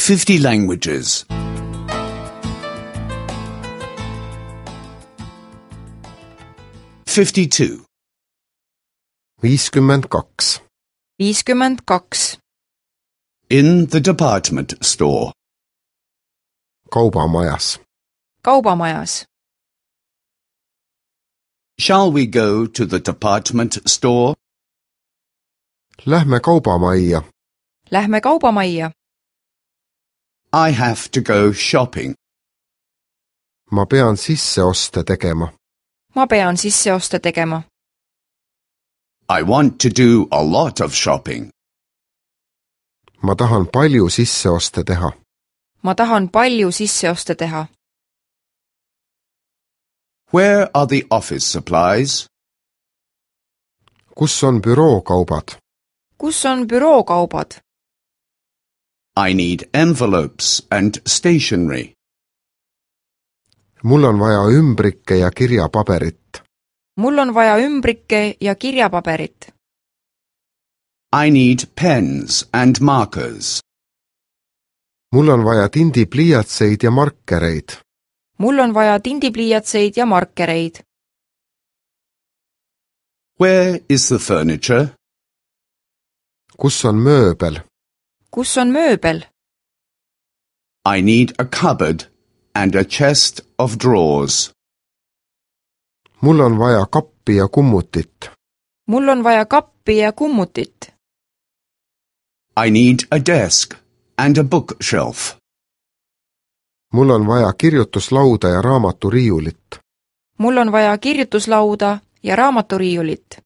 50 languages. 52. 52. 52. In the department store. Kaubamajas. Kaubamajas. Shall we go to the department store? Lähme kaubamajja. Lähme kaubamajja. I have to go shopping. Ma pean sisseoste tegema. Ma pean sisseoste tegema. I want to do a lot of shopping. Ma tahan palju sisseoste teha. Ma tahan palju sisseoste teha. Where are the office supplies? Kus on bürookaubad? Kus on bürookaubad? I need envelopes and stationery. Mul on vaja ümbrikke ja kirjapaberit. Mul on vaja ümbrikke ja kirjapaberit. I need pens and markers. Mul on vaja tindipliiatseid ja markereid. Mul on vaja tindipliiatseid ja markereid. Where is the furniture? Kus on mööbel? Kus on mööbel? I need a cupboard and a chest of drawers. Mul on vaja kappi ja kummutit. Mul on vaja kappi ja kummutit. I need a desk and a bookshelf. Mul on vaja kirjutuslauda ja raamaturiiulit. Mul on vaja kirjutuslauda ja raamaturiiulit.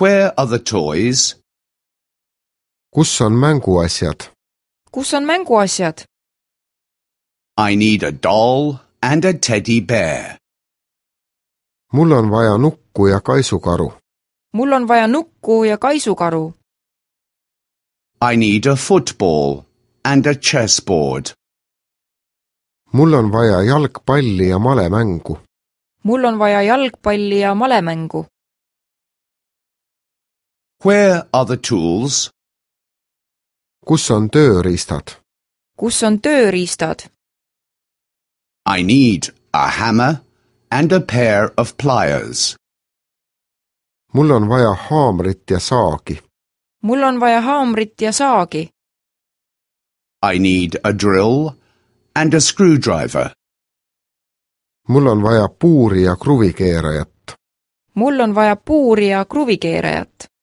Where are the toys? Kus on mänguasjad? Kus on mänguasjad? I need a doll and a teddy bear. Mul on vaja nukku ja kaisukaru. Mul on vaja nukku ja kaisukaru. I need a football and a chessboard. Mul on vaja jalgpalli ja malemängu. Mul on vaja jalgpalli ja malemängu. Where are the tools? Kus on tööriistad? Kus on tööriistad? I need a hammer and a pair of pliers. Mul on vaja haamrit ja saagi. Mul on vaja haamrit ja saagi. I need a drill and a screwdriver. Mul on vaja puuri ja kruvikeerajat. Mul on vaja puuri ja kruvikeerajat.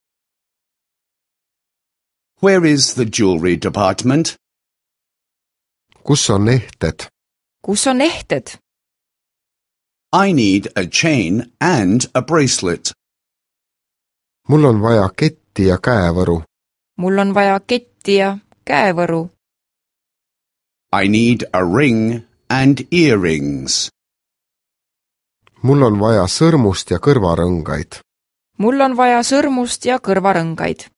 Where is the jewelry department? Kus on ehted? Kus on ehted? I need a chain and a bracelet. Mul on vaja ketti ja käevõru. Mul on vaja ketti ja käevõru. I need a ring and earrings. Mul on vaja sõrmust ja kõrvarõngaid. Mul on vaja sõrmust ja kõrvarõngaid.